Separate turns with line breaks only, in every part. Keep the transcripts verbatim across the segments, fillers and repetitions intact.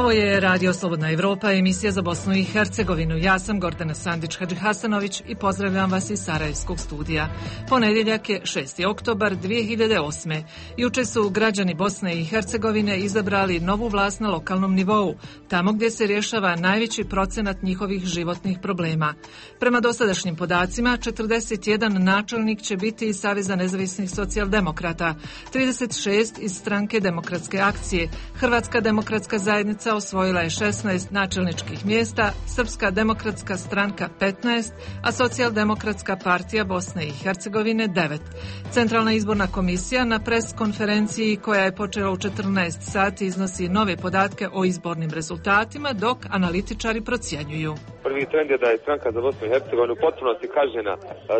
Ovo je Radio Slobodna Evropa, emisija za Bosnu i Hercegovinu. Ja sam Gordana Sandić-Hadžihasanović i pozdravljam vas iz Sarajevskog studija. Ponedjeljak je šesti oktobar dvije hiljade osme. Juče su građani Bosne i Hercegovine izabrali novu vlast na lokalnom nivou, tamo gdje se rješava najveći procenat njihovih životnih problema. Prema dosadašnjim podacima, četrdeset jedan načelnik će biti iz Saveza nezavisnih socijaldemokrata, trideset šest iz Stranke demokratske akcije, Hrvatska demokratska zajednica osvojila je šesnaest načelničkih mjesta, Srpska demokratska stranka petnaest, a Socijaldemokratska partija Bosne i Hercegovine devet. Centralna izborna komisija na pres konferenciji koja je počela u četrnaest sati iznosi nove podatke o izbornim rezultatima, dok analitičari procjenjuju.
Prvi trend je da je stranka za Bosnu i Hercegovinu potpunosti kažnjena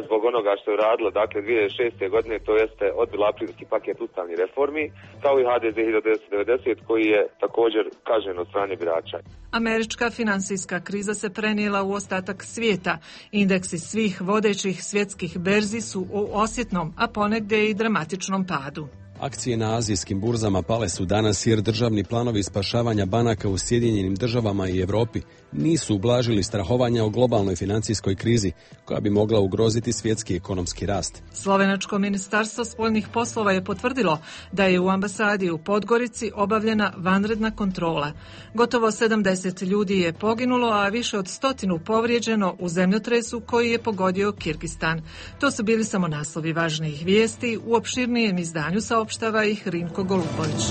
zbog onoga što je radila, dakle dvije hiljade šeste. godine, to jeste odbila aprilski paket ustavnih reformi, kao i H D Z hiljadu devetsto devedeset koji je također kažnjen od strane birača.
Američka finansijska kriza se prenijela u ostatak svijeta. Indeksi svih vodećih svjetskih berzi su u osjetnom, a ponegdje i dramatičnom padu.
Akcije na azijskim burzama pale su danas jer državni planovi spašavanja banaka u Sjedinjenim državama i Europi nisu ublažili strahovanja o globalnoj financijskoj krizi koja bi mogla ugroziti svjetski ekonomski rast.
Slovenačko ministarstvo spoljnih poslova je potvrdilo da je u ambasadi u Podgorici obavljena vanredna kontrola. Gotovo sedamdeset ljudi je poginulo, a više od stotinu povrijeđeno u zemljotresu koji je pogodio Kirgistan. To su bili samo naslovi važnijih vijesti. U opširnijem izdanju saopštava ih Rinko Golubović.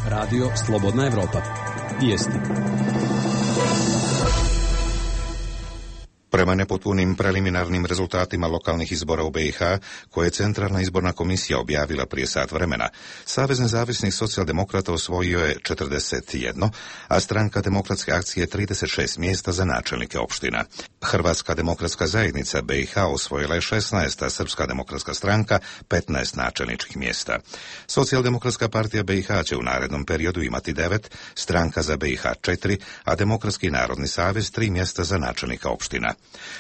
Radio Slobodna Evropa. Vijesti.
Prema nepotpunim preliminarnim rezultatima lokalnih izbora u B i H, koje je Centralna izborna komisija objavila prije sat vremena, Savez nezavisnih socijaldemokrata osvojio je četrdeset jedan, a Stranka demokratske akcije trideset šest mjesta za načelnike opština. Hrvatska demokratska zajednica B i H osvojila je šesnaest, a Srpska demokratska stranka petnaest načelničkih mjesta. Socijaldemokratska partija B i H će u narednom periodu imati devet, Stranka za B i H četiri, a Demokratski narodni savez tri mjesta za načelnika opština.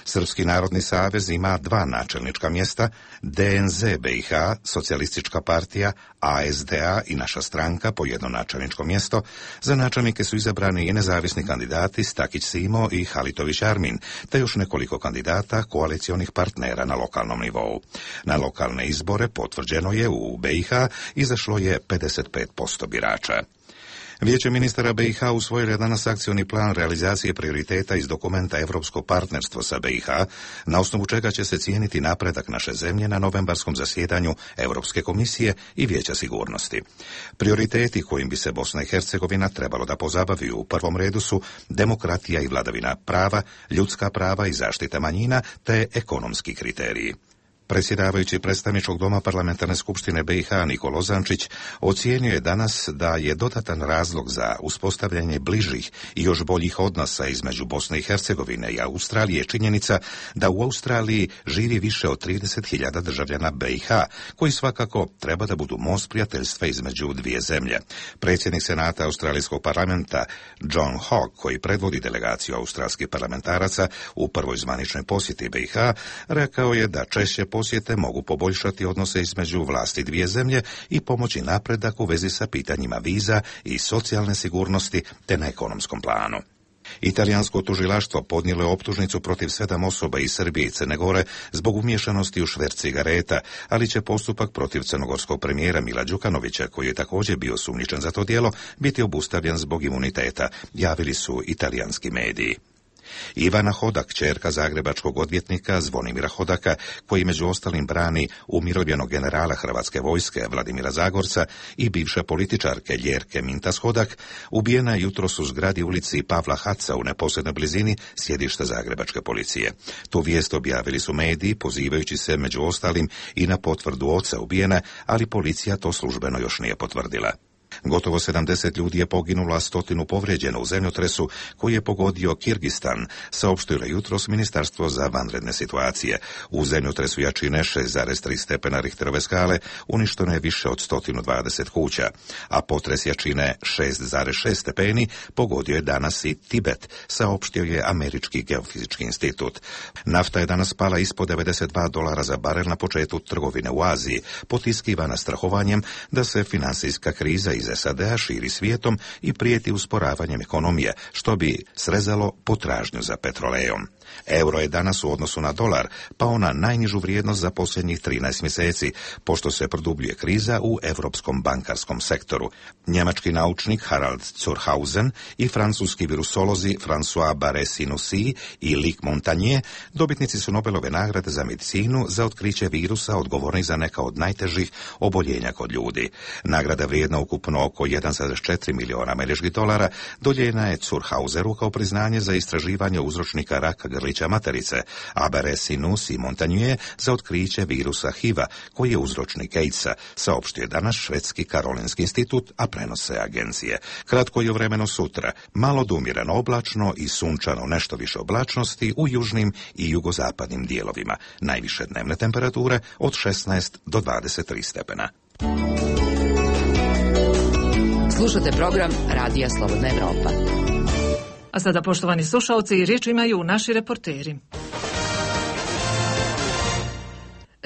Srpski narodni savez ima dva načelnička mjesta, D N Z B i H, Socijalistička partija, A S D A i naša stranka po jedno načelničko mjesto. Za načelnike su izabrani i nezavisni kandidati Stakić Simo i Halitović Armin, te još nekoliko kandidata koalicionih partnera na lokalnom nivou. Na lokalne izbore potvrđeno je u B i H izašlo je pedeset pet posto birača. Vijeće ministara B i H usvojilo je danas akcioni plan realizacije prioriteta iz dokumenta Europsko partnerstvo sa B i H, na osnovu čega će se cijeniti napredak naše zemlje na novembarskom zasjedanju Europske komisije i Vijeća sigurnosti. Prioriteti kojim bi se Bosna i Hercegovina trebalo da pozabavi u prvom redu su demokratija i vladavina prava, ljudska prava i zaštita manjina, te ekonomski kriteriji. Predsjedavajući predstavničkog doma parlamentarne skupštine B i H Niko Lozančić ocijenio je danas da je dodatan razlog za uspostavljanje bližih i još boljih odnosa između Bosne i Hercegovine i Australije činjenica da u Australiji živi više od trideset hiljada državljana B i H, koji svakako treba da budu most prijateljstva između dvije zemlje. Predsjednik Senata Australijskog parlamenta John Hogg, koji predvodi delegaciju australskih parlamentaraca u prvoj zvaničnoj posjeti B i H, rekao je da češće posjete mogu poboljšati odnose između vlasti dvije zemlje i pomoći napredak u vezi sa pitanjima viza i socijalne sigurnosti te na ekonomskom planu. Italijansko tužilaštvo podnijelo je optužnicu protiv sedam osoba iz Srbije i Crne Gore zbog umiješanosti u šverc cigareta, ali će postupak protiv crnogorskog premijera Mila Đukanovića, koji je također bio sumnjičen za to djelo, biti obustavljen zbog imuniteta, javili su italijanski mediji. Ivana Hodak, kćerka zagrebačkog odvjetnika Zvonimira Hodaka, koji među ostalim brani umirovljenog generala Hrvatske vojske Vladimira Zagorca i bivše političarke Ljerke Mintas Hodak, ubijena je jutros u zgradi ulici Pavla Haca u neposrednoj blizini sjedišta zagrebačke policije. Tu vijest objavili su mediji, pozivajući se među ostalim i na potvrdu oca ubijene, ali policija to službeno još nije potvrdila. Gotovo sedamdeset ljudi je poginulo, a stotinu povrijeđeno u zemljotresu koji je pogodio Kirgistan, saopštilo je jutros Ministarstvo za vanredne situacije. U zemljotresu jačine šest zarez tri stepena Richterove skale uništeno je više od sto dvadeset kuća, a potres jačine šest zarez šest stepeni pogodio je danas i Tibet, saopštio je Američki geofizički institut. Nafta je danas pala ispod devedeset dva dolara za barel na početku trgovine u Aziji, potiskivana strahovanjem da se finansijska kriza iz S A D-a širi svijetom i prijeti usporavanjem ekonomije, što bi srezalo potražnju za petrolejom. Euro je danas u odnosu na dolar pao na najnižu vrijednost za posljednjih trinaest mjeseci, pošto se produbljuje kriza u europskom bankarskom sektoru. Njemački naučnik Harald Zurhausen i francuski virusolozi François Barré-Sinoussi i Luc Montagnier dobitnici su Nobelove nagrade za medicinu za otkriće virusa odgovornih za neka od najtežih oboljenja kod ljudi. Nagrada vrijedna ukupno oko jedan zarez četiri milijuna američkih dolara dodijeljena je Zurhauseru kao priznanje za istraživanje uzročnika raka grlića materice, a Barré-Sinoussi i Montagnier za otkriće virusa H I V-a, koji je uzročnik AIDS-a, saopštio je danas švedski Karolinski institut, a prenose agencije. Kratko je vremeno sutra, malo dumirano oblačno i sunčano, nešto više oblačnosti u južnim i jugozapadnim dijelovima. Najviše dnevne temperature od šesnaest do dvadeset tri stepena.
Slušate program Radija Slobodna Evropa.
A sada, poštovani slušalci, riječ imaju naši reporteri.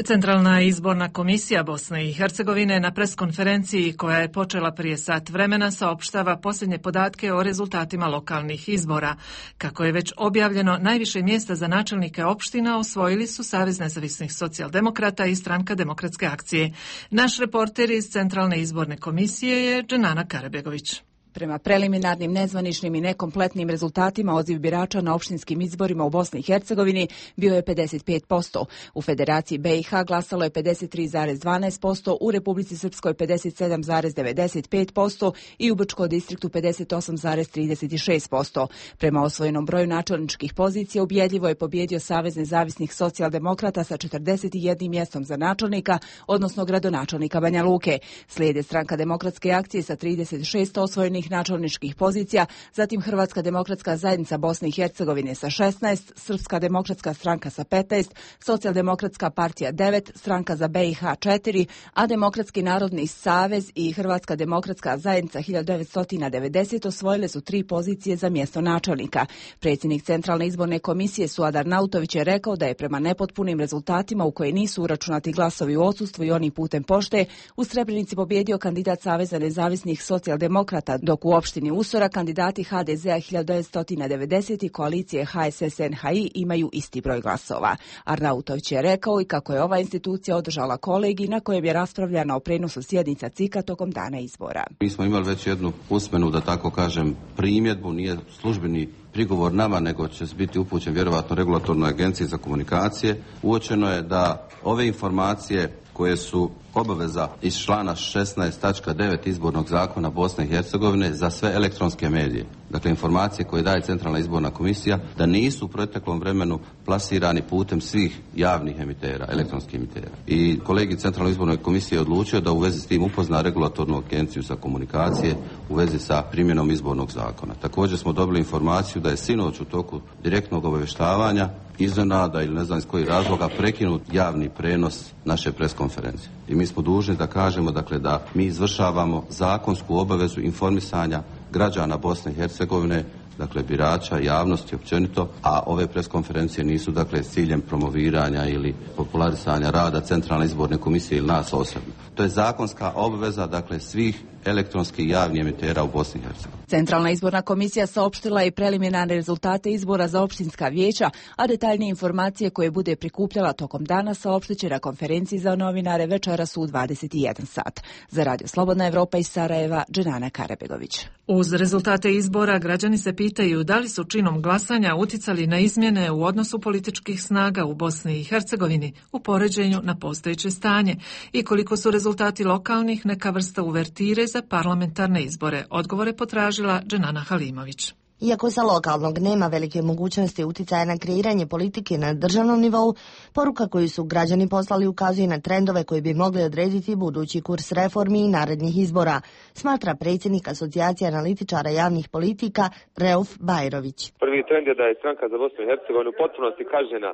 Centralna izborna komisija Bosne i Hercegovine na preskonferenciji koja je počela prije sat vremena saopštava posljednje podatke o rezultatima lokalnih izbora. Kako je već objavljeno, najviše mjesta za načelnike opština osvojili su Savez nezavisnih socijaldemokrata i Stranka demokratske akcije. Naš reporter iz Centralne izborne komisije je Dženana Karabegović.
Prema preliminarnim, nezvaničnim i nekompletnim rezultatima odziv birača na opštinskim izborima u Bosni i Hercegovini bio je pedeset pet posto. U Federaciji B i H glasalo je pedeset tri zarez dvanaest posto, u Republici Srpskoj pedeset sedam zarez devedeset pet posto i u Brčkom distriktu pedeset osam zarez trideset šest posto. Prema osvojenom broju načelničkih pozicija ubjedljivo je pobjedio Savez nezavisnih socijaldemokrata sa četrdeset jednim mjestom za načelnika, odnosno gradonačelnika Banja Luke. Slijede Stranka demokratske akcije sa trideset šest osvojenih načelničkih pozicija, zatim Hrvatska demokratska zajednica Bosne i Hercegovine sa šesnaest, Srpska demokratska stranka sa petnaest, Socijaldemokratska partija devet, Stranka za B i H četiri, a Demokratski narodni savez i Hrvatska demokratska zajednica hiljadu devetsto devedeset osvojile su tri pozicije za mjesto načelnika. Predsjednik Centralne izborne komisije Suadar Nautović je rekao da je prema nepotpunim rezultatima u koje nisu uračunati glasovi u odsustvu i oni putem pošte u Srebrenici pobjedio kandidat Saveza nezavisnih socijaldemokrata, dok u opštini Usora kandidati H D Z-a hiljadu devetsto devedeset i koalicije H S S N H I imaju isti broj glasova. Arnautović je rekao i kako je ova institucija održala kolegij na kojem je raspravljano o prenosu sjednica C I K-a tokom dana izbora.
Mi smo imali već jednu usmenu, da tako kažem, primjedbu, nije službeni prigovor nama, nego će biti upućen vjerovatno regulatornoj agenciji za komunikacije. Uočeno je da ove informacije koje su obaveza iz člana šesnaest tačka devet izbornog zakona Bosne i Hercegovine za sve elektronske medije. Dakle, informacije koje daje Centralna izborna komisija da nisu u proteklom vremenu plasirani putem svih javnih emitera, elektronskih emitera. I kolegi Centralne izborne komisije je odlučio da u vezi s tim upozna regulatornu agenciju za komunikacije u vezi sa primjenom izbornog zakona. Također smo dobili informaciju da je sinoć u toku direktnog obavještavanja iznenada ili ne znam iz kojih razloga prekinut javni prenos naše preskonferencije. I mi smo dužni da kažemo, dakle, da mi izvršavamo zakonsku obavezu informisanja građana Bosne i Hercegovine, dakle birača, javnosti općenito, a ove preskonferencije nisu, dakle, s ciljem promoviranja ili popularisanja rada Centralne izborne komisije ili nas osobno. To je zakonska obveza, dakle, svih elektronskih javnih emitera u Bosni i Hercegovini.
Centralna izborna komisija saopštila i preliminarne rezultate izbora za opštinska vijeća, a detaljnije informacije koje bude prikupljala tokom dana saopštit će na konferenciji za novinare večeras u dvadeset jedan sat. Za Radio Slobodna Evropa iz Sarajeva, Dženana Karabegović.
Uz rezultate izbora građani se pitaju da li su činom glasanja uticali na izmjene u odnosu političkih snaga u Bosni i Hercegovini u poređenju na postojeće stanje i koliko su rezultati lokalnih neka vrsta uvertire za parlamentarne izbore. Odgovore potražila Dženana Halimović.
Iako sa lokalnog nema velike mogućnosti uticaja na kreiranje politike na državnom nivou, poruka koju su građani poslali ukazuje na trendove koji bi mogli odrediti budući kurs reformi i narednih izbora, smatra predsjednik Asocijacije analitičara javnih politika Reuf Bajrović.
Prvi trend je da je Stranka za Bosnu i Hercegovinu u potpunosti kažnjena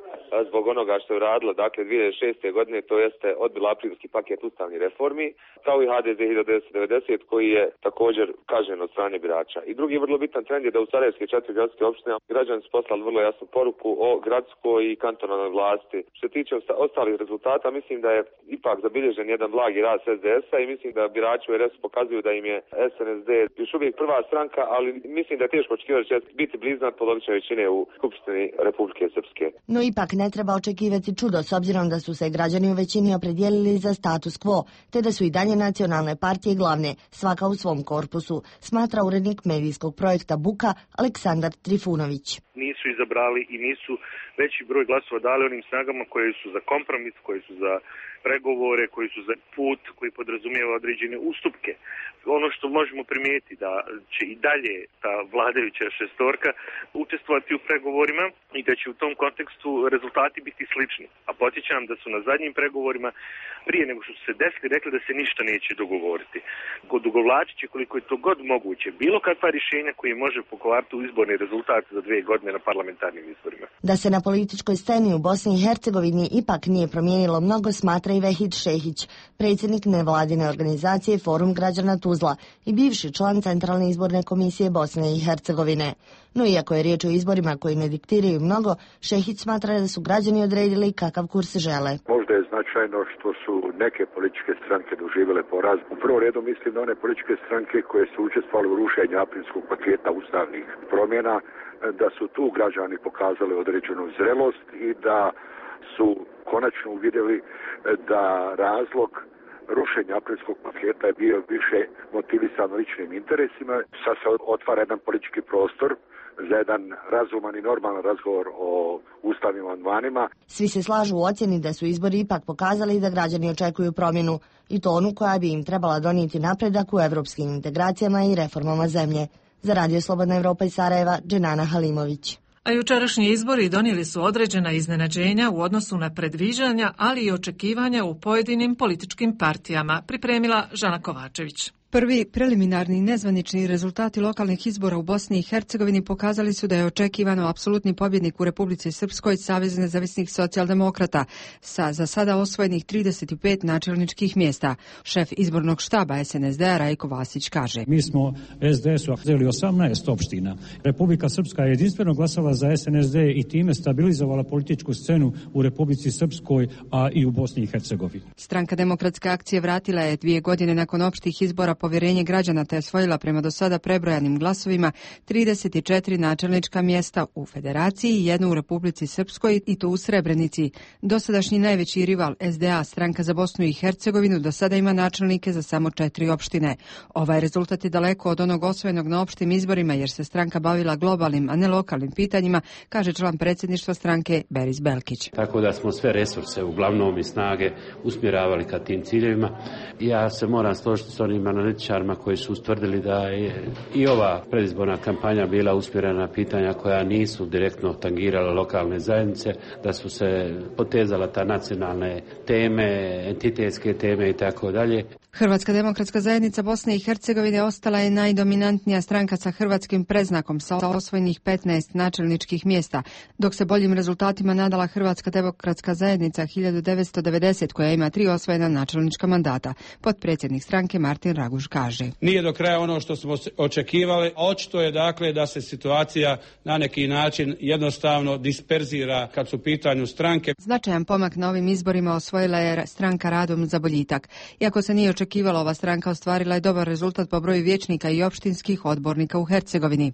zbog onoga što je radila, dakle dvije hiljade šeste. godine, to jeste odbila aprilski paket ustavnih reformi, kao i H D Z hiljadu devetsto devedeset koji je također kažnjen od strane birača. I drugi vrlo bitan trend je da u sarajevske četiri gradske opštine građani su poslali vrlo jasnu poruku o gradskoj i kantonalnoj vlasti. Što se tiče ostalih rezultata, mislim da je ipak zabilježen jedan blagi rast es de es-a i mislim da birači u er es pokazuju da im je es en es de još uvijek prva stranka, ali mislim da je teško očekivati da će biti bliznat polovične većine u Skupštini Republike Srpske.
No ipak ne treba očekivati čudo s obzirom da su se građani u većini opredijelili za status quo, te da su i dalje nacionalne partije glavne, svaka u svom korpusu, smatra urednik medijskog projekta Buka Aleksandar Trifunović.
Nisu izabrali i nisu veći broj glasova dali onim snagama koje su za kompromis, koje su za pregovore, koji su za put, koji podrazumijeva određene ustupke. Ono što možemo primijetiti da će i dalje ta vladajuća šestorka učestvovati u pregovorima i da će u tom kontekstu rezultati biti slični. A podsjećam da su na zadnjim pregovorima, prije nego što su se desili, rekli da se ništa neće dogovoriti. Odugovlačit će koliko je to god moguće bilo kakva rješenja koji može pokvariti u izborni rezultat za dvije godine na parlamentarnim izborima.
Da se na političkoj sceni u Bosni i Hercegovini ipak nije promijenilo mnogo, smatra i Vehid Šehić, predsjednik nevladine organizacije Forum građana Tuzla i bivši član Centralne izborne komisije Bosne i Hercegovine. No iako je riječ o izborima koji ne diktiraju mnogo, Šehić smatra da su građani odredili kakav kurs žele.
Možda je značajno što su neke političke stranke doživjele poraz. U prvom redu mislim na one političke stranke koje su učestvovale u rušenju aprilskog paketa ustavnih promjena, da su tu građani pokazali određenu zrelost i da su konačno uvidjeli da razlog rušenja aprilskog paketa je bio više motivisan ličnim interesima. Sad se otvara jedan politički prostor za jedan razuman i normalan razgovor o ustavnim amandmanima.
Svi se slažu u ocjeni da su izbori ipak pokazali da građani očekuju promjenu i to onu koja bi im trebala donijeti napredak u evropskim integracijama i reformama zemlje. Za Radio Slobodna Evropa iz Sarajeva, Dženana Halimović.
A jučerašnji izbori donijeli su određena iznenađenja u odnosu na predviđanja, ali i očekivanja u pojedinim političkim partijama, pripremila Žana Kovačević.
Prvi preliminarni nezvanični rezultati lokalnih izbora u Bosni i Hercegovini pokazali su da je očekivano apsolutni pobjednik u Republici Srpskoj Savez nezavisnih socijaldemokrata sa za sada osvojenih trideset pet načelničkih mjesta. Šef izbornog štaba es en es de-a Rajko Vasić kaže:
Mi smo es de es-u uzeli osamnaest opština. Republika Srpska je jedinstveno glasala za es en es de i time stabilizovala političku scenu u Republici Srpskoj, a i u Bosni i Hercegovini.
Stranka Demokratske akcije vratila je dvije godine nakon opštih izbora povjerenje građana te je osvojila prema do sada prebrojanim glasovima trideset četiri načelnička mjesta u Federaciji i jednu u Republici Srpskoj i to u Srebrenici. Dosadašnji najveći rival es de a, Stranka za Bosnu i Hercegovinu, do sada ima načelnike za samo četiri opštine. Ovaj rezultat je daleko od onog osvojenog na opštim izborima jer se stranka bavila globalnim, a ne lokalnim pitanjima, kaže član predsjedništva stranke Beris Belkić.
Tako da smo sve resurse, uglavnom i snage, usmjeravali ka tim ciljevima. Ja se moram složiti s onim analitičarima koji su ustvrdili da je i ova predizborna kampanja bila usmjerena na pitanja koja nisu direktno tangirala lokalne zajednice, da su se potezala ta nacionalne teme, entitetske teme i tako dalje.
Hrvatska demokratska zajednica Bosne i Hercegovine ostala je najdominantnija stranka sa hrvatskim predznakom sa osvojenih petnaest načelničkih mjesta, dok se boljim rezultatima nadala Hrvatska demokratska zajednica hiljadu devetsto devedeset koja ima tri osvojena načelnička mandata. Potpredsjednik stranke Martin Raguž kaže:
Nije do kraja ono što smo očekivali. Očito je dakle da se situacija na neki način jednostavno disperzira kad su u pitanju stranke.
Značajan pomak na ovim izborima osvojila je stranka Radom za boljitak. Iako se nije očekivalo, ova stranka ostvarila je dobar rezultat po broju vijećnika i opštinskih odbornika u Hercegovini.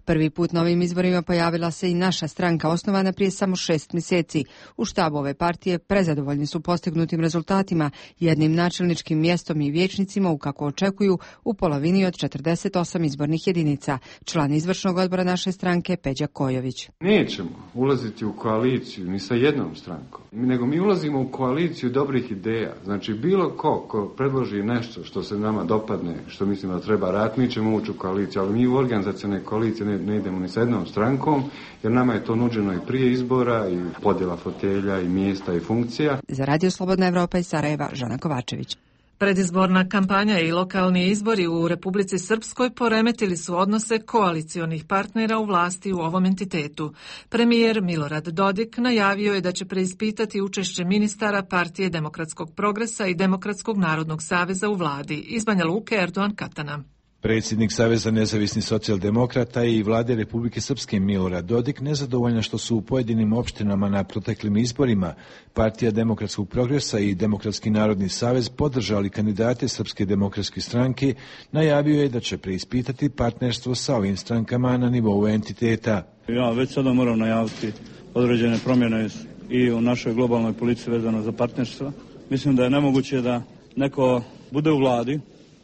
Prvi put na ovim izborima pojavila se i naša stranka, osnovana prije samo šest mjeseci. U štabu ove partije prezadovoljni su postignutim rezultatima, jednim načelničkim mjestom i vijećnicima u, kako očekuju, u polovini od četrdeset osam izbornih jedinica. Član izvršnog odbora naše stranke Peđa Kojović.
Nećemo ulaziti u koaliciju ni sa jednom strankom, nego mi ulazimo u koaliciju dobrih ideja. Znači bilo ko ko predloži nešto što se nama dopadne, što mislimo da treba raditi, mi ćemo ući u koaliciju, ali mi u organizacione koalicije ne, ne idemo ni sa jednom strankom, jer nama je to nuđeno i prije izbora, i podjela fotelja, i mjesta, i funkcija.
Za Radio Slobodna Evropa iz Sarajeva, Žana Kovačević.
Predizborna kampanja i lokalni izbori u Republici Srpskoj poremetili su odnose koalicionih partnera u vlasti u ovom entitetu. Premijer Milorad Dodik najavio je da će preispitati učešće ministara Partije demokratskog progresa i Demokratskog narodnog saveza u vladi. Iz Banja Luke, Erdogan Katana.
Predsjednik Saveza nezavisnih socijaldemokrata i vlade Republike Srpske Milorad Dodik nezadovoljna što su u pojedinim opštinama na proteklim izborima Partija demokratskog progresa i Demokratski narodni savez podržali kandidate Srpske demokratske stranke, najavio je da će preispitati partnerstvo sa ovim strankama na nivou entiteta.
Ja već sada moram najaviti određene promjene i u našoj globalnoj politici vezano za partnerstva. Mislim da je nemoguće da neko bude u vladi,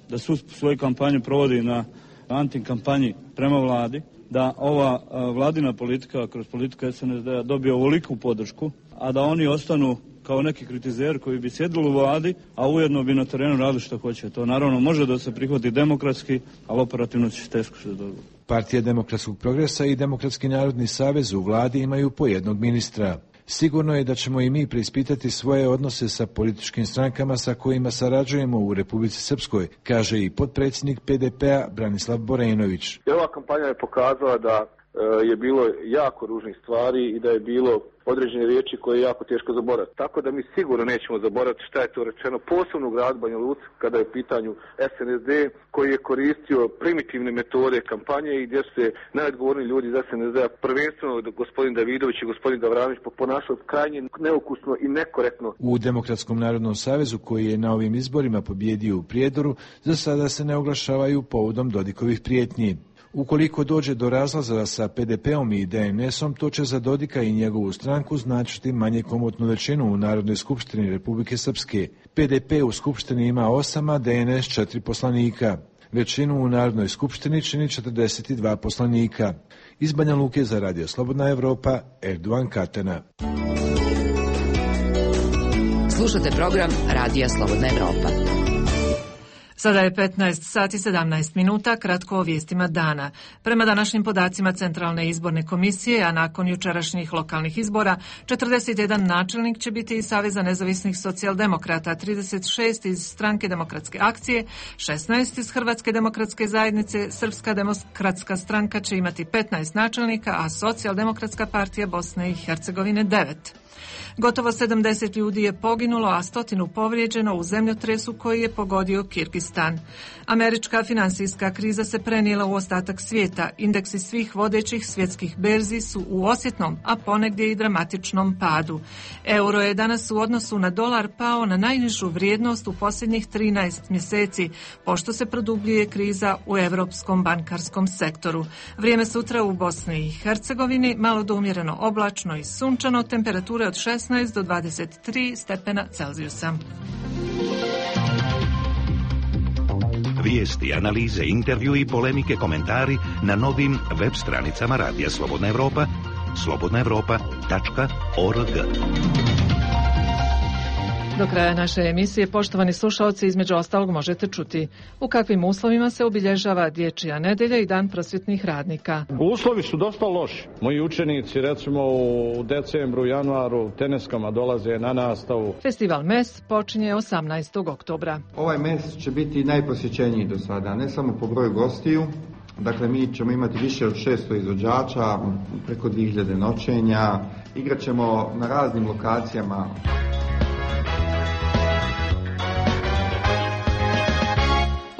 da su svoju kampanju provodi na antikampanji prema vladi, da ova vladina politika kroz politiku S N S D-a dobije ovoliku podršku, a da oni ostanu kao neki kritizeri koji bi sjedili u vladi, a ujedno bi na terenu radili što hoće. To naravno može da se prihvati demokratski, ali operativno će teško se dobiti.
Partija demokratskog progresa i Demokratski narodni savez u vladi imaju po jednog ministra. Sigurno je da ćemo i mi preispitati svoje odnose sa političkim strankama sa kojima sarađujemo u Republici Srpskoj, kaže i potpredsjednik P D P-a Branislav Borenović.
Ova kampanja je pokazala da je bilo jako ružnih stvari i da je bilo određene riječi koje je jako teško zaboraviti. Tako da mi sigurno nećemo zaboraviti šta je to rečeno, posebno u gradu Banja Luci kada je u pitanju S N S D koji je koristio primitivne metode kampanje i gdje se najodgovorniji ljudi iz S N S D-a, prvenstveno gospodin Davidović i gospodin Gavranović, ponašali krajnje neukusno i nekorektno.
U Demokratskom narodnom savezu koji je na ovim izborima pobjedio u Prijedoru, za sada se ne oglašavaju povodom Dodikovih prijetnji. Ukoliko dođe do razlaza sa P D P-om i D N S-om, to će za Dodika i njegovu stranku značiti manje komotnu većinu u Narodnoj skupštini Republike Srpske. P D P u skupštini ima osam, a D N S četiri poslanika. Većinu u Narodnoj skupštini čini četrdeset dva poslanika. Iz Banja Luke za Radio Slobodna Evropa, Erdovan Katana.
Slušate program Radija Slobodna Evropa.
Sada je petnaest sati sedamnaest minuta, kratko o vijestima dana. Prema današnjim podacima Centralne izborne komisije, a nakon jučerašnjih lokalnih izbora, četrdeset jedan načelnik će biti iz Saveza nezavisnih socijaldemokrata, trideset šest iz Stranke demokratske akcije, šesnaest iz Hrvatske demokratske zajednice, Srpska demokratska stranka će imati petnaest načelnika, a Socijaldemokratska partija Bosne i Hercegovine devet. Gotovo sedamdeset ljudi je poginulo, a stotinu povrijeđeno u zemljotresu koji je pogodio Kirgistan. Američka finansijska kriza se prenijela u ostatak svijeta. Indeksi svih vodećih svjetskih berzi su u osjetnom, a ponegdje i dramatičnom padu. Euro je danas u odnosu na dolar pao na najnižu vrijednost u posljednjih trinaest mjeseci, pošto se produbljuje kriza u europskom bankarskom sektoru. Vrijeme sutra u Bosni i Hercegovini malo do umjereno oblačno i sunčano, temperature od šesnaest do dvadeset tri stepena Celzijusa.
Vijesti, analize, intervju i polemike, komentari na novim web stranicama Radija Slobodna Evropa, slobodna evropa tačka org.
Do kraja naše emisije, poštovani slušalci, između ostalog možete čuti u kakvim uslovima se obilježava Dječja nedelja i Dan prosvjetnih radnika.
Uslovi su dosta loši. Moji učenici, recimo u decembru, januaru, teneskama dolaze na nastavu.
Festival M E S počinje osamnaestog oktobra.
Ovaj M E S će biti najposjećeniji do sada, ne samo po broju gostiju. Dakle, mi ćemo imati više od šesto izvođača, preko dvije hiljade noćenja. Igrat ćemo na raznim lokacijama.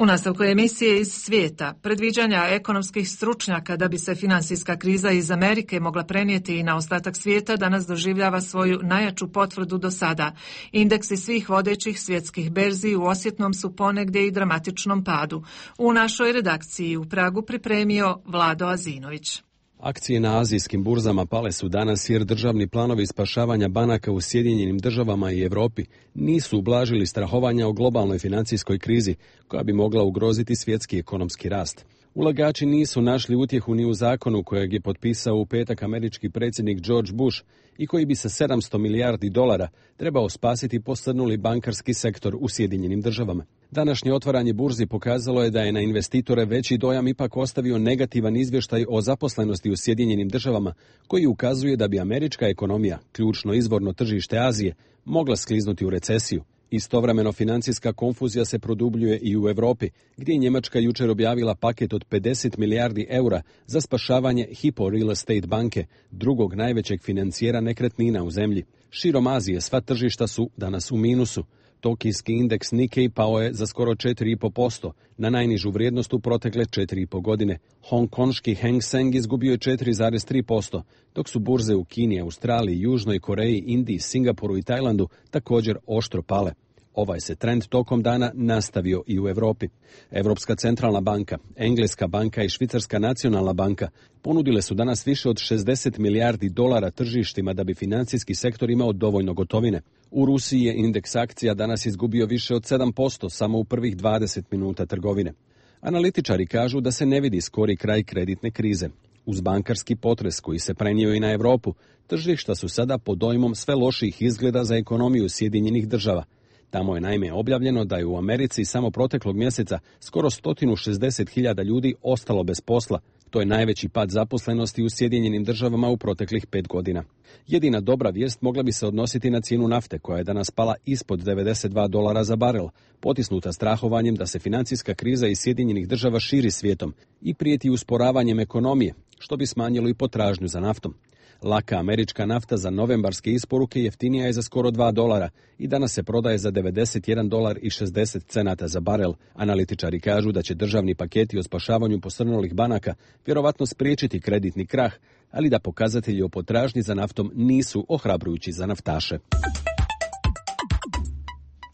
U nastavku emisije iz svijeta, predviđanja ekonomskih stručnjaka da bi se finansijska kriza iz Amerike mogla prenijeti i na ostatak svijeta danas doživljava svoju najjaču potvrdu do sada. Indeksi svih vodećih svjetskih berzi u osjetnom su ponegdje i dramatičnom padu. U našoj redakciji u Pragu pripremio Vlado Azinović.
Akcije na azijskim burzama pale su danas jer državni planovi spašavanja banaka u Sjedinjenim državama i Europi nisu ublažili strahovanja o globalnoj financijskoj krizi koja bi mogla ugroziti svjetski ekonomski rast. Ulagači nisu našli utjehu ni u zakonu kojeg je potpisao u petak američki predsjednik George Bush i koji bi sa sedamsto milijardi dolara trebao spasiti posrnuli bankarski sektor u Sjedinjenim državama. Današnje otvaranje burzi pokazalo je da je na investitore veći dojam ipak ostavio negativan izvještaj o zaposlenosti u Sjedinjenim državama, koji ukazuje da bi američka ekonomija, ključno izvorno tržište Azije, mogla skliznuti u recesiju. Istovremeno financijska konfuzija se produbljuje i u Europi, gdje je Njemačka jučer objavila paket od pedeset milijardi eura za spašavanje Hypo Real Estate banke, drugog najvećeg financijera nekretnina u zemlji. Širom Azije sva tržišta su danas u minusu. Tokijski indeks Nikkei pao je za skoro četiri zarez pet posto, na najnižu vrijednost u protekle četiri i po godine. Hongkonški Hang Seng izgubio je četiri zarez tri posto, dok su burze u Kini, Australiji, Južnoj Koreji, Indiji, Singapuru i Tajlandu također oštro pale. Ovaj se trend tokom dana nastavio i u Europi. Europska centralna banka, Engleska banka i Švicarska nacionalna banka ponudile su danas više od šezdeset milijardi dolara tržištima da bi financijski sektor imao dovoljno gotovine. U Rusiji je indeks akcija danas izgubio više od sedam posto samo u prvih dvadeset minuta trgovine. Analitičari kažu da se ne vidi skori kraj kreditne krize. Uz bankarski potres koji se prenio i na Europu, tržišta su sada pod dojmom sve loših izgleda za ekonomiju Sjedinjenih država. Tamo je naime objavljeno da je u Americi samo proteklog mjeseca skoro sto šezdeset hiljada ljudi ostalo bez posla. To je najveći pad zaposlenosti u Sjedinjenim državama u proteklih pet godina. Jedina dobra vijest mogla bi se odnositi na cijenu nafte, koja je danas pala ispod devedeset dva dolara za barel, potisnuta strahovanjem da se financijska kriza iz Sjedinjenih država širi svijetom i prijeti usporavanjem ekonomije, što bi smanjilo i potražnju za naftom. Laka američka nafta za novembarske isporuke jeftinija je za skoro dva dolara i danas se prodaje za devedeset jedan dolar i šezdeset cenata za barel. Analitičari kažu da će državni paketi o spašavanju posrnulih banaka vjerovatno spriječiti kreditni krah, ali da pokazatelji o potražnji za naftom nisu ohrabrujući za naftaše.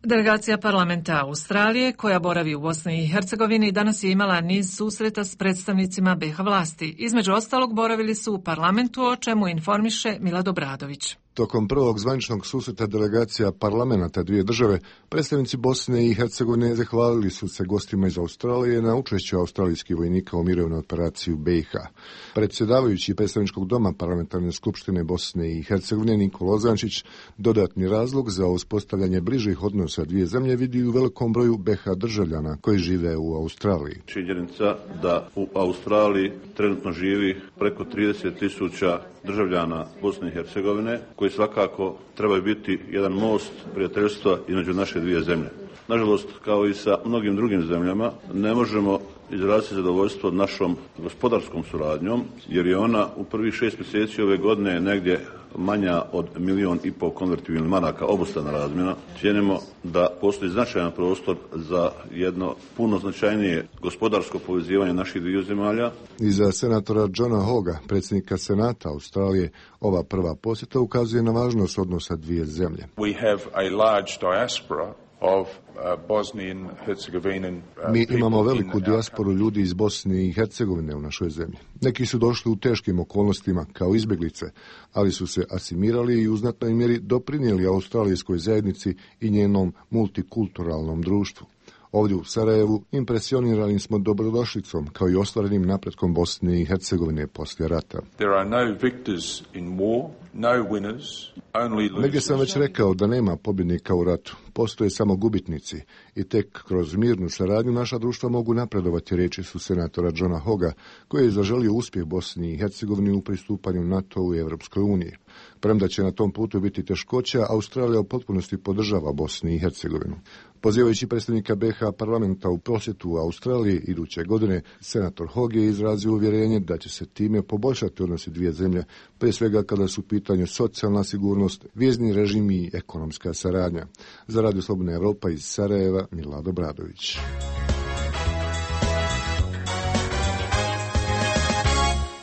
Delegacija parlamenta Australije, koja boravi u Bosni i Hercegovini, danas je imala niz susreta s predstavnicima be ha vlasti. Između ostalog boravili su u parlamentu, o čemu informiše Milad Obradović.
Tokom prvog zvaničnog susreta delegacija parlamenta dvije države, predstavnici Bosne i Hercegovine zahvalili su se gostima iz Australije na učešću australijskih vojnika u mirovnoj operaciji u be i ha. Predsjedavajući predstavničkog doma parlamentarne skupštine Bosne i Hercegovine Nikola Ozančić dodatni razlog za uspostavljanje bližih odnosa dvije zemlje vidi u velikom broju be ha državljana koji žive u Australiji.
Činjenica da u Australiji trenutno živi preko trideset tisuća državljana Bosne i Hercegovine, koji svakako trebaju biti jedan most prijateljstva između naše dvije zemlje. Nažalost, kao i sa mnogim drugim zemljama, ne možemo izraziti zadovoljstvo našom gospodarskom suradnjom, jer je ona u prvih šest mjeseci ove godine negdje manja od milijon i pol konvertibilnih maraka obostrana razmjena. Cijenimo da postoji značajan prostor za jedno puno značajnije gospodarsko povezivanje naših dviju zemalja.
I za senatora Johna Hoga, predsjednika Senata Australije, ova prva posjeta ukazuje na važnost odnosa dvije zemlje.
We have a large diaspora of Bosnian Herzegovinian.
Mi imamo veliku dijasporu ljudi iz Bosne i Hercegovine u našoj zemlji. Neki su došli u teškim okolnostima kao izbjeglice, ali su se asimirali i u znatnoj mjeri doprinijeli australijskoj zajednici i njenom multikulturalnom društvu. Ovdje u Sarajevu impresionirani smo dobrodošlicom kao i ostvarenim napretkom Bosne i Hercegovine poslije rata.
There are no victors in war, no winners, only losers.
Negdje sam već rekao da nema pobjednika u ratu, postoje samo gubitnici i tek kroz mirnu saradnju naša društva mogu napredovati, riječi su senatora Johna Hoga, koji je zaželio uspjeh Bosni i Hercegovini u pristupanju NATO-u i Europskoj uniji. Premda će na tom putu biti teškoća, Australija u potpunosti podržava Bosni i Hercegovinu. Pozivajući predstavnika be ha parlamenta u posjetu u Australiji iduće godine, senator Hog je izrazio uvjerenje da će se time poboljšati odnosi dvije zemlje, prije svega kada su u pitanju socijalna sigurnost, vizni režim i ekonomska saradnja. Za Radio Slobodna Evropa iz Sarajeva, Milad Obradović.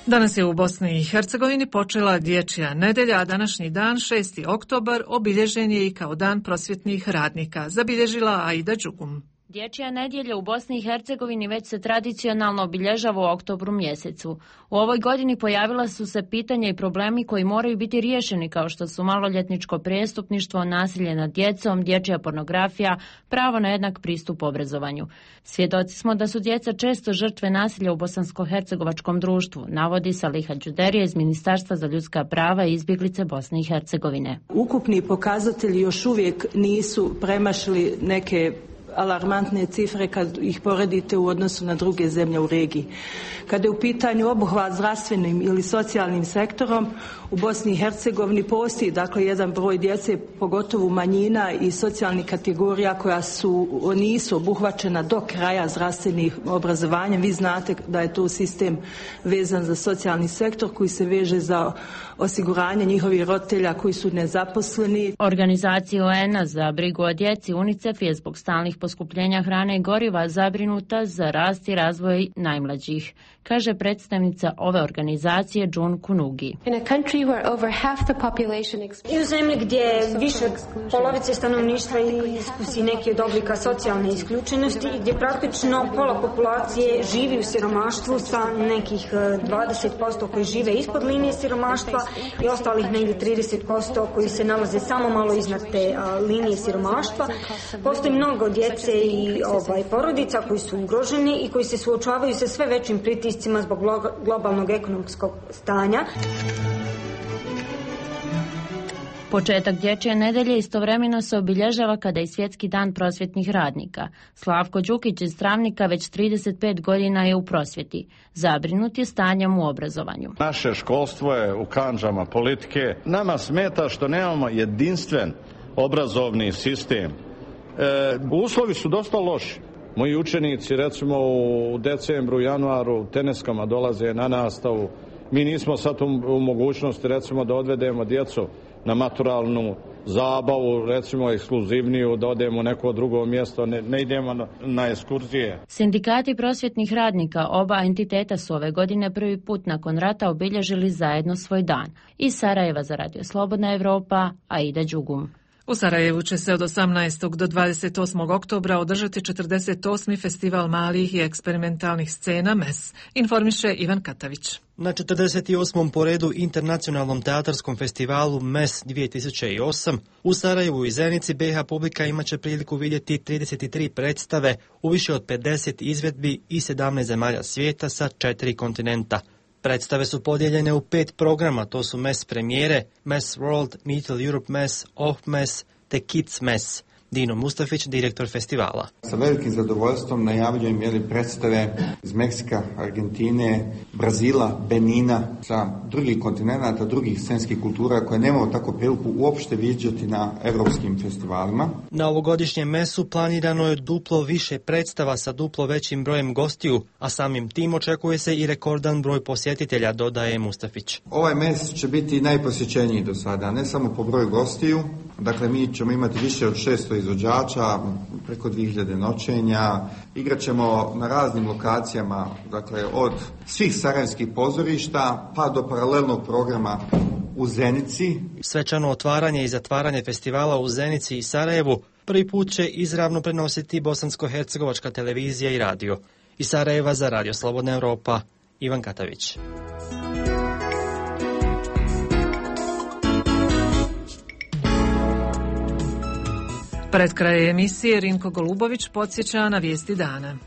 Danas je u Bosni i Hercegovini počela dječja nedelja, a današnji dan, šesti oktobar, obilježen je i kao dan prosvjetnih radnika, zabilježila Aida Đugum.
Dječja nedjelja u Bosni i Hercegovini već se tradicionalno obilježava u oktobru mjesecu. U ovoj godini pojavila su se pitanja i problemi koji moraju biti riješeni, kao što su maloljetničko prijestupništvo, nasilje nad djecom, dječja pornografija, pravo na jednak pristup obrazovanju. Svjedoci smo da su djeca često žrtve nasilja u bosansko-hercegovačkom društvu, navodi Saliha Đuderija iz Ministarstva za ljudska prava i izbjeglice Bosne i Hercegovine.
Ukupni pokazatelji još uvijek nisu premašili neke
alarmantne cifre kad ih poredite u odnosu na druge zemlje u regiji. Kada je u pitanju obuhvat zdravstvenim ili socijalnim sektorom, u Bosni i Hercegovini postoji dakle jedan broj djece, pogotovo manjina i socijalnih kategorija koja su, nisu obuhvaćena do kraja zdravstvenih obrazovanja. Vi znate da je to sistem vezan za socijalni sektor koji se veže za osiguranje njihovih roditelja koji su nezaposleni.
Organizacija O N A za brigu o djeci UNICEF je zbog stalnih poskupljenja hrane i goriva zabrinuta za rast i razvoj najmlađih, kaže predstavnica ove organizacije June Kunugi.
I u zemlji gdje više polovice stanovništva iskusi neki od oblika socijalne isključenosti i gdje praktično pola populacije živi u siromaštvu sa nekih dvadeset posto koji žive ispod linije siromaštva i ostalih negdje trideset posto koji se nalaze samo malo iznad te a, linije siromaštva. Postoji mnogo djece i ovaj, porodica koji su ugroženi i koji se suočavaju sa sve većim pritiscima zbog globalnog ekonomskog stanja.
Početak dječje nedelje istovremeno se obilježava kada je Svjetski dan prosvjetnih radnika. Slavko Đukić iz Travnika već trideset pet godina je u prosvjeti. Zabrinut je stanjem u obrazovanju.
Naše školstvo je u kandžama politike. Nama smeta što nemamo jedinstven obrazovni sistem. E, uslovi su dosta loši. Moji učenici recimo u decembru, januaru teneskama dolaze na nastavu. Mi nismo sad u, u mogućnosti recimo da odvedemo djecu na maturalnu zabavu, recimo ekskluzivniju, da odemo u neko drugo mjesto, ne, ne idemo na, na ekskurzije.
Sindikati prosvjetnih radnika oba entiteta su ove godine prvi put nakon rata obilježili zajedno svoj dan. Iz Sarajeva za Radio Slobodna Evropa, Aida Đugum.
U Sarajevu će se od osamnaestog do dvadeset osmog oktobra održati četrdeset osmi festival malih i eksperimentalnih scena M E S, informiše Ivan Katavić.
Na četrdeset osmom po redu internacionalnom teatarskom festivalu M E S dvije tisuće osam u Sarajevu i Zenici B iH publika imaće priliku vidjeti trideset tri predstave u više od pedeset izvedbi i sedamnaest zemalja svijeta sa četiri kontinenta. Predstave su podijeljene u pet programa, to su M E S premijere, M E S World, Middle Europe M E S, O H M E S te Kids M E S. Dino Mustafić, direktor festivala.
Sa velikim zadovoljstvom najavljujem jeli predstave iz Meksika, Argentine, Brazila, Benina, sa drugih kontinenata, drugih scenskih kultura koje nemamo tako priliku uopšte viđati na evropskim festivalima.
Na ovogodišnjem M E S-u planirano je duplo više predstava sa duplo većim brojem gostiju, a samim tim očekuje se i rekordan broj posjetitelja, dodaje Mustafić.
Ovaj M E S će biti najposjećeniji do sada, ne samo po broju gostiju. Dakle, mi ćemo imati više od šesto izvođača, preko dvije hiljade noćenja, igrat ćemo na raznim lokacijama, dakle, od svih sarajevskih pozorišta pa do paralelnog programa u Zenici.
Svečano otvaranje i zatvaranje festivala u Zenici i Sarajevu prvi put će izravno prenositi bosansko-hercegovačka televizija i radio. Iz Sarajeva za Radio Slobodna Evropa, Ivan Katavić.
Pred kraj emisije Rinko Golubović podsjeća na vijesti dana.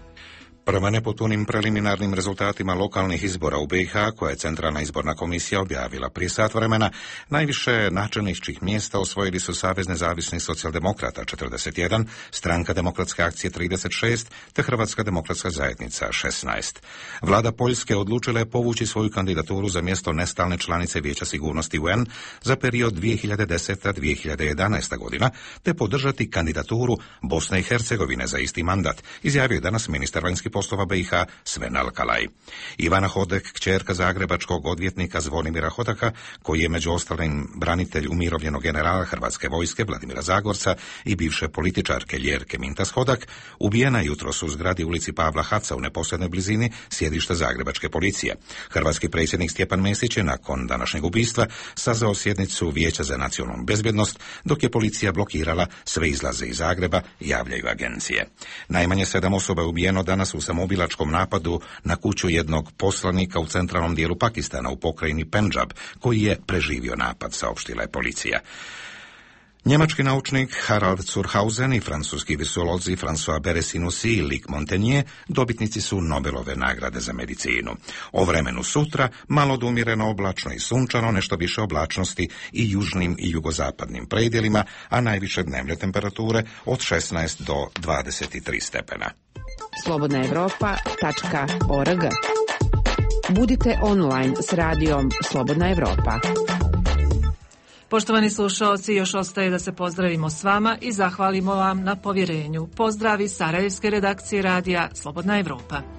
Prema nepotpunim preliminarnim rezultatima lokalnih izbora u B iH, koje je Centralna izborna komisija objavila prije sat vremena, najviše načelničkih mjesta osvojili su Savez nezavisnih socijaldemokrata četrdeset jedan, Stranka demokratske akcije trideset šest, te Hrvatska demokratska zajednica šesnaest. Vlada Poljske odlučila je povući svoju kandidaturu za mjesto nestalne članice Vijeća sigurnosti U N za period dvije hiljade deseta do dvije hiljade jedanaesta godina, te podržati kandidaturu Bosne i Hercegovine za isti mandat, izjavio je danas ministar vanjskih poslova B iH Sven Alkalaj. Ivana Hodek, kćerka zagrebačkog odvjetnika Zvonimira Hodaka, koji je među ostalim branitelj umirovljenog generala Hrvatske vojske Vladimira Zagorca i bivše političarke Ljerke Mintas Hodak, ubijena jutros u zgradi ulici Pavla Haca u neposrednoj blizini sjedišta zagrebačke policije. Hrvatski predsjednik Stjepan Mesić je nakon današnjeg ubistva sazvao sjednicu Vijeća za nacionalnu bezbjednost, dok je policija blokirala sve izlaze iz Zagreba, javljaju agencije. Najmanje sedam osoba je ubijeno danas u samoubilačkom napadu na kuću jednog poslanika u centralnom dijelu Pakistana u pokrajini Pendžab, koji je preživio napad, saopštila je policija. Njemački naučnik Harald Zurhausen i francuski virusolozi François Beresinus i Luc Montagnier dobitnici su Nobelove nagrade za medicinu. O vremenu sutra malo odumjereno oblačno i sunčano, nešto više oblačnosti i južnim i jugozapadnim predjelima, a najviše dnevne temperature od šesnaest do dvadeset tri stepena.
slobodna evropa tačka org. Budite online s radijom Slobodna Evropa.
Poštovani slušalci, još ostaje da se pozdravimo s vama i zahvalimo vam na povjerenju. Pozdravi Sarajevske redakcije radija Slobodna Evropa.